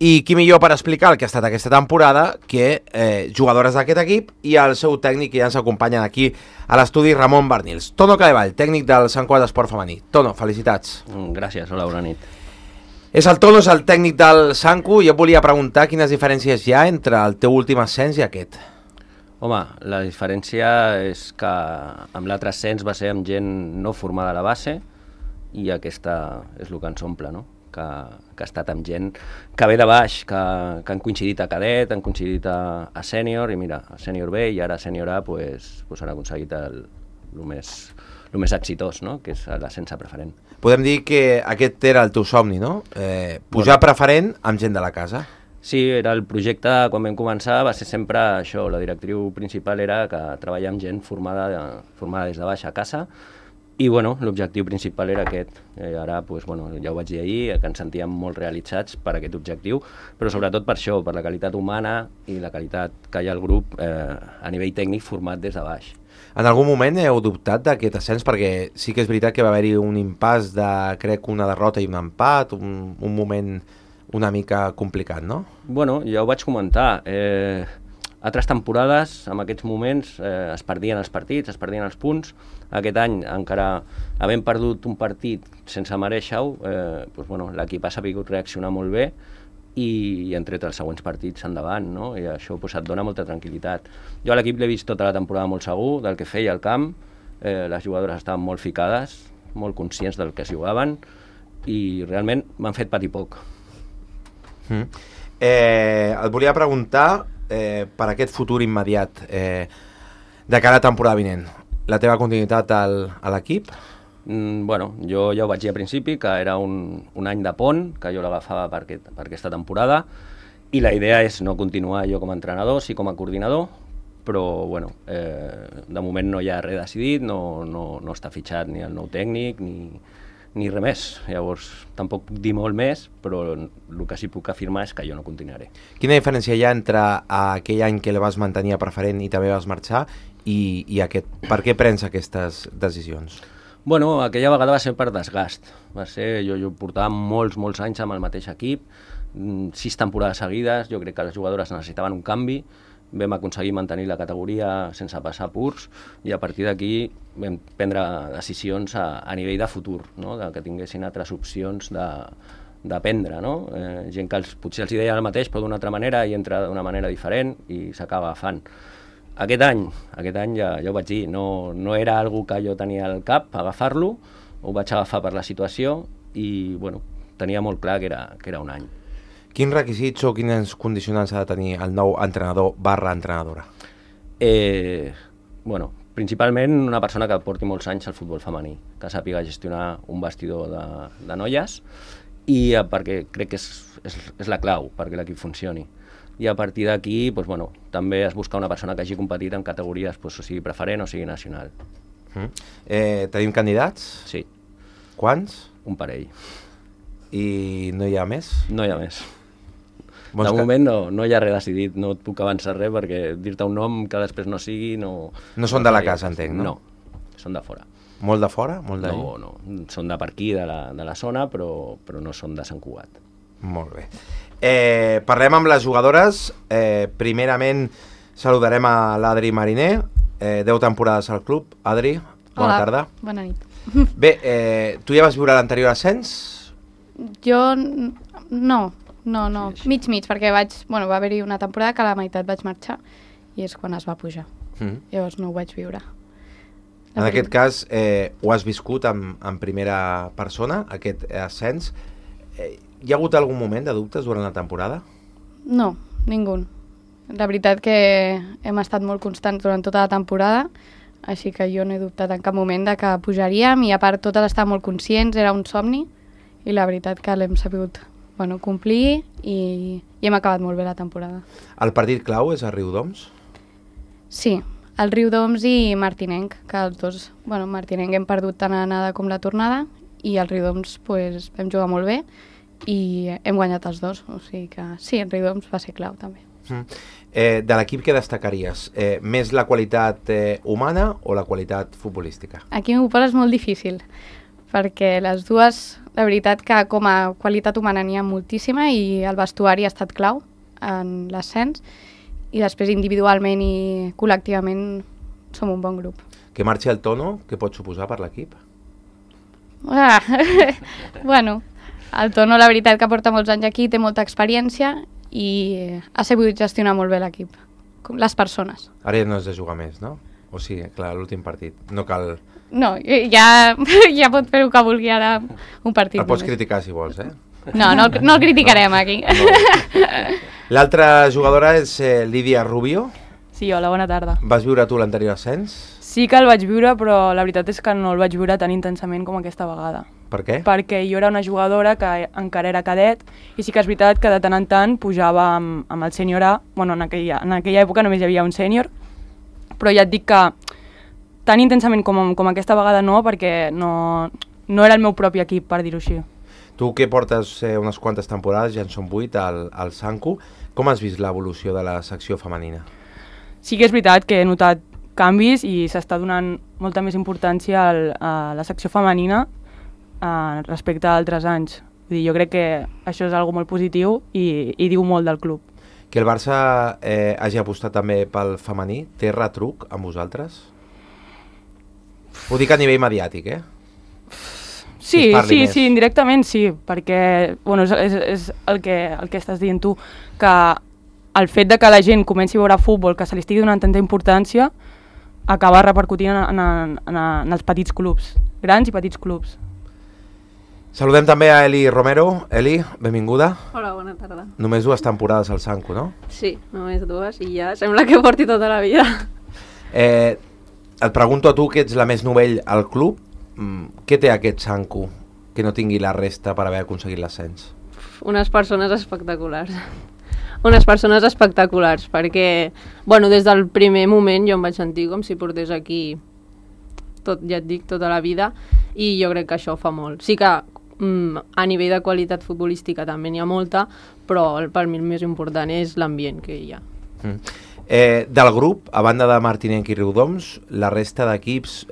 I qui millor per explicar el que ha estat aquesta temporada que jugadores d'aquest equip i el seu tècnic que ja ens acompanyen aquí a l'estudi, Ramon Barnils. Tono Cadevall, tècnic del Sant Cugat Esport Femení. Tono, felicitats. Gràcies, hola, bona nit. És el Tono, és el tècnic del Sancu. Jo et volia preguntar quines diferències hi ha entre el teu últim ascens i aquest. Home, la diferència és que amb l'altre ascens va ser amb gent no formada a la base i aquesta és el que ens omple, no? Que ha estat amb gent que ve de baix, que han coincidit a cadet, han coincidit a sènior, i mira, a sènior B i ara a sènior A pues han aconseguit el més exitós, no? Que és l'ascens a preferent. Podem dir que aquest era el teu somni, no? Pujar a preferent amb gent de la casa. Sí, era el projecte, quan vam començar, va ser sempre això, la directriu principal era que treballar amb gent formada des de baix a casa. I bueno, l'objectiu principal era aquest. Ara pues, bueno, ja ho vaig dir ahir, que ens sentíem molt realitzats per aquest objectiu, però sobretot per això, per la qualitat humana i la qualitat que hi ha al grup a nivell tècnic format des de baix. En algun moment heu dubtat d'aquest ascens? Perquè sí que és veritat que va haver-hi un impàs de, crec, una derrota i un empat, un moment una mica complicat, no? Bueno, ja ho vaig comentar. Altres temporades, en aquests moments, es perdien els partits, es perdien els punts. Aquest any, encara havent perdut un partit sense mereixer-ho, doncs, bueno, l'equip ha sabut reaccionar molt bé i han tret els següents partits endavant, no? I això pues, et dona molta tranquil·litat. Jo a l'equip l'he vist tota la temporada molt segur del que feia al camp, les jugadores estaven molt ficades, molt conscients del que es jugaven i realment m'han fet patir poc. Et volia preguntar per aquest futur immediat de cara a temporada vinent. La teva continuïtat a l'equip? Bueno, jo ja ho vaig dir al principi, que era un any de pont, que jo l'agafava per aquesta temporada, i la idea és no continuar jo com a entrenador, sí com a coordinador, però bueno, de moment no hi ha res decidit, no està fitxat ni el nou tècnic, ni res més. Llavors, tampoc puc dir molt més, però el que sí puc afirmar és que jo no continuaré. Quina diferència hi ha entre aquell any que el vas mantenir a preferent i també vas marxar i aquest? Per què prens aquestes decisions? Bueno, aquella vegada va ser per desgast. Jo portava molts anys amb el mateix equip, 6 temporades seguides, jo crec que les jugadores necessitaven un canvi, vam aconseguir mantenir la categoria sense passar purs i a partir d'aquí vam prendre decisions a nivell de futur, no? Que tinguessin altres opcions d'aprendre, no? Gent que potser els deia el mateix però d'una altra manera i entra d'una manera diferent i s'acaba agafant. Aquest any ja ho vaig dir, no era algo que jo tenia al cap, agafar-lo, ho vaig agafar per la situació i bueno, tenia molt clar que era un any. Quins requisits o quines condicionants ha de tenir el nou entrenador / entrenadora? Bueno, principalment una persona que porti molts anys al futbol femení, que sàpiga gestionar un vestidor de noies i perquè crec que és la clau perquè l'equip funcioni. I a partir d'aquí, doncs, bueno, també es busca una persona que hagi competit en categories, doncs, o sigui preferent o sigui nacional. Tenim candidats? Sí. Quants? Un parell. I no hi ha més? No hi ha més. De moment no hi ha res decidit, no et puc avançar res perquè dir-te un nom que després no sigui... No són de la casa, entenc, no? No, són de fora. Molt de fora? Molt de no, són de per aquí, de la zona, però no són de Sant Cugat. Molt bé. Parlem amb les jugadores. Primerament saludarem a l'Adri Mariner, 10 temporades al club. Adri, bona tarda. Bona nit. Bé, tu ja vas viure l'anterior ascens? Jo no, mig, perquè va haver-hi una temporada que a la meitat vaig marxar i és quan es va pujar. Llavors no ho vaig viure. En aquest cas, ho has viscut en primera persona, aquest ascens. Hi ha hagut algun moment de dubtes durant la temporada? No, ningú. La veritat que hem estat molt constants durant tota la temporada, així que jo no he dubtat en cap moment de que pujaríem i a part totes estàvem molt conscients, era un somni i la veritat que l'hem sabut complir i hem acabat molt bé la temporada. El partit clau és a Riudoms? Sí, el Riudoms i Martinenc, que els dos, Martinenc hem perdut tant l'anada com la tornada i el Riudoms vam jugar molt bé i hem guanyat els dos, o sigui que sí, el Riudoms va ser clau també. De l'equip què destacaries? Més la qualitat humana o la qualitat futbolística? Aquí m'ho poses molt difícil, perquè les dues, la veritat que com a qualitat humana n'hi ha moltíssima i el vestuari ha estat clau en l'ascens i després individualment i col·lectivament som un bon grup. Que marxi el Tono, què pot suposar per l'equip? Bueno, el Tono la veritat que porta molts anys aquí, té molta experiència i ha sabut gestionar molt bé l'equip, com les persones. Ara ja no has de jugar més, no? O sigui, clar, l'últim partit. No cal... No, ja pot fer el que vulgui ara un partit. El pots només. criticar si vols, eh? No el criticarem aquí. L'altra jugadora és Lídia Rubio. Sí, hola, bona tarda. Vas viure tu l'anterior ascens? Sí que el vaig viure, però la veritat és que no el vaig viure tan intensament com aquesta vegada. Per què? Perquè jo era una jugadora que encara era cadet i sí que és veritat que de tant en tant pujava amb el sènior A. Bueno, en aquella època només hi havia un sènior, però ja et dic que tan intensament com aquesta vegada no, perquè no era el meu propi equip, per dir-ho així. Tu que portes unes quantes temporades, ja en són 8 al Sanku, com has vist l'evolució de la secció femenina? Sí que és veritat que he notat canvis i s'està donant molta més importància a la secció femenina respecte a altres anys. Vull dir, jo crec que això és algo molt positiu i diu molt del club. Que el Barça hagi apostat també pel femení, té retruc amb vosaltres? Ho dic a nivell mediàtic, eh? Sí, indirectament sí, perquè bueno, és el que estàs dient tu, que el fet de que la gent comenci a veure futbol, que se li estigui donant tanta importància, acaba repercutint en els petits clubs, grans i petits clubs. Saludem també a Eli Romero. Eli, benvinguda. Hola, bona tarda. Només 2 temporades al Sanku, no? Sí, només 2 i ja sembla que porti tota la vida. Et pregunto a tu, que ets la més novell al club, què té aquest Sanku que no tingui la resta per haver aconseguit l'ascens? Unes persones espectaculars. Unes persones espectaculars, perquè, bueno, des del primer moment jo em vaig sentir com si portés aquí tot, ja et dic, tota la vida, i jo crec que això fa molt. Sí que a nivell de qualitat futbolística també n'hi ha molta, però per mi el més important és l'ambient que hi ha. Del grup, a banda de Martinenc i Riudoms, la resta d'equips,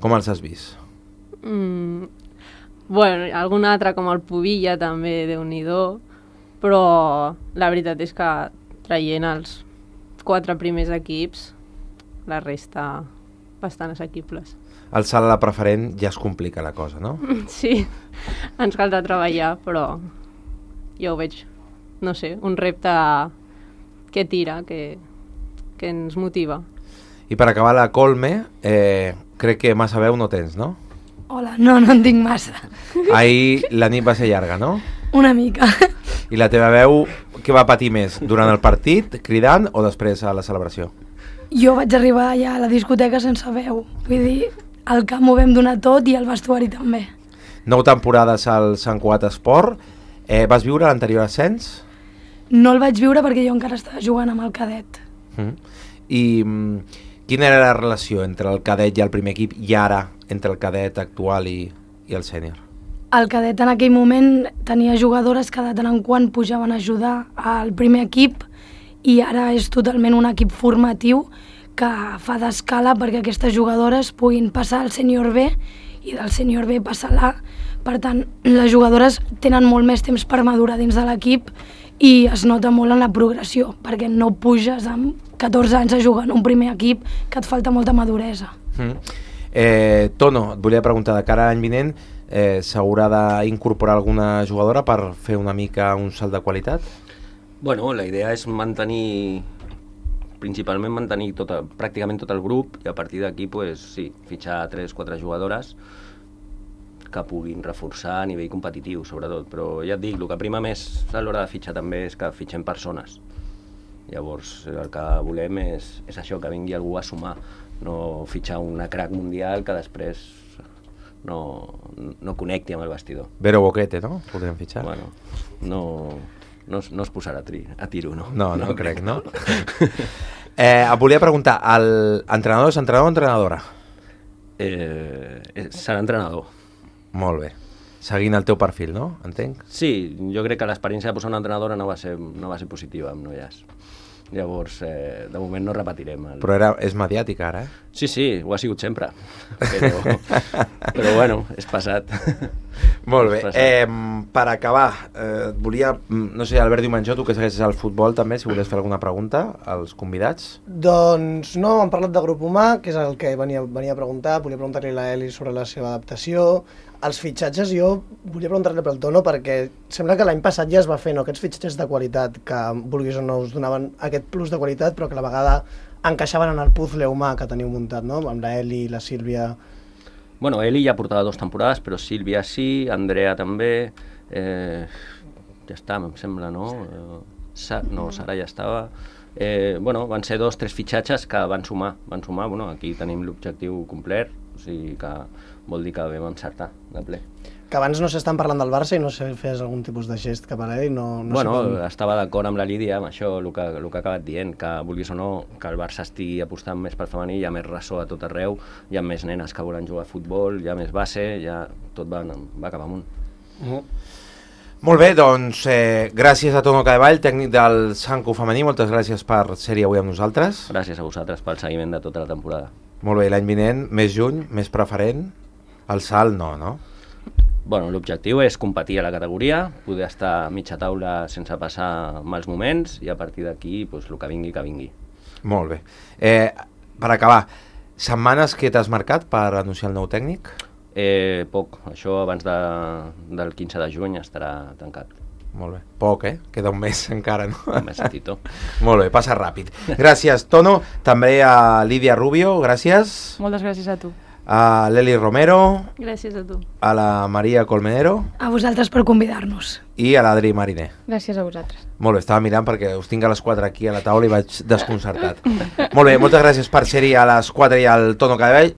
com els has vist? Bueno, algun altre com el Pubilla també, Déu-n'hi-do, però la veritat és que traient els 4 primers equips, la resta bastant assequibles. Al salt a la preferent ja es complica la cosa, no? Sí, ens cal de treballar, però jo ho veig, no sé, un repte que tira, que ens motiva. I per acabar la Colme, crec que massa veu no tens, no? Hola, no en tinc massa. Ahir la nit va ser llarga, no? Una mica. I la teva veu, què va patir més? Durant el partit, cridant, o després a la celebració? Jo vaig arribar ja a la discoteca sense veu. Vull dir, al camp ho vam donar tot i al vestuari també. 9 temporades al Sant Cugat Esport. Vas viure l'anterior ascens? No el vaig viure perquè jo encara estava jugant amb el cadet. I quina era la relació entre el cadet i el primer equip i ara entre el cadet actual i el sènior? El cadet en aquell moment tenia jugadores que de tant en quant pujaven a ajudar al primer equip i ara és totalment un equip formatiu que fa d'escala perquè aquestes jugadores puguin passar al sènior B i del sènior B passar a l'A. Per tant, les jugadores tenen molt més temps per madurar dins de l'equip i es nota molt en la progressió, perquè no puges amb 14 anys a jugar en un primer equip que et falta molta maduresa. Tono, et volia preguntar, de cara a l'any vinent, s'haurà d'incorporar alguna jugadora per fer una mica un salt de qualitat? Bueno, la idea és principalment mantenir pràcticament tot el grup i a partir d'aquí, sí, fitxar 3-4 jugadores que puguin reforçar a nivell competitiu, sobretot. Però ja et dic, el que prima més a l'hora de fitxar també és que fitxem persones. Llavors, el que volem és això, que vingui algú a sumar, no fitxar una crack mundial que després no connecti amb el vestidor. Vero Boquete, no? Podríem fitxar. Bueno, no es posarà a tiro, no? No crec, no? Et volia preguntar, l'entrenador és entrenador o entrenadora? Serà entrenador. Molt bé. Seguint el teu perfil, no? Entenc? Sí, jo crec que l'experiència de posar una entrenadora no va ser positiva amb Noies. Llavors, de moment no repetirem. Però és mediàtic ara, eh? Sí, ho ha sigut sempre, però bueno, és passat. Molt bé, per acabar, volia, no sé, Albert Diumenjó, tu que segueixes el futbol també, si volies fer alguna pregunta als convidats. Doncs no, hem parlat de grup humà, que és el que venia a preguntar, volia preguntar-li a l'Eli sobre la seva adaptació. Els fitxatges, jo volia preguntar-li pel Tono, perquè sembla que l'any passat ja es va fer, no? Aquests fitxatges de qualitat, que vulguis o no us donaven aquest plus de qualitat, però que a la vegada encaixaven en el puzzle humà que teniu muntat, no? Amb la Eli, la Sílvia... Bueno, Eli ja portava 2 temporades, però Sílvia sí, Andrea també, ja està, em sembla, no? Sara ja estava... Bueno, van ser 2 o 3 fitxatges que van sumar, bueno, aquí tenim l'objectiu complet, o sigui que vol dir que vam encertar de ple. Que abans no s'estan parlant del Barça i no sé, fes algun tipus de gest cap a l'Eli, no bueno, sé com... estava d'acord amb la Lídia, amb això, el que ha acabat dient, que vulguis o no, que el Barça estigui apostant més per femení, hi ha més ressò a tot arreu, hi ha més nenes que volen jugar a futbol, hi ha més base, ja tot va cap amunt. Molt bé, doncs gràcies a Tono Cadevall, tècnic del Sanco femení, moltes gràcies per ser-hi avui amb nosaltres. Gràcies a vosaltres pel seguiment de tota la temporada. Molt bé, l'any vinent, més juny, més preferent, el salt no? Bueno, l'objectiu és competir a la categoria, poder estar a mitja taula sense passar mals moments i a partir d'aquí, doncs, el que vingui. Molt bé. Per acabar, setmanes que t'has marcat per anunciar el nou tècnic? Poc, això abans del 15 de juny estarà tancat. Molt bé, poc, queda un mes encara, no? Un mesetito. Molt bé, passa ràpid. Gràcies, Tono, també a Lídia Rubio, gràcies. Moltes gràcies a tu. A l'Eli Romero. Gràcies a tu. A la Maria Colmenero. A vosaltres per convidar-nos. I a l'Adri Mariner. Gràcies a vosaltres. Molt bé, estava mirant perquè us tinc a les 4 aquí a la taula i vaig desconcertat. Molt bé, moltes gràcies per ser-hi a les 4 i al Tono Cadevall.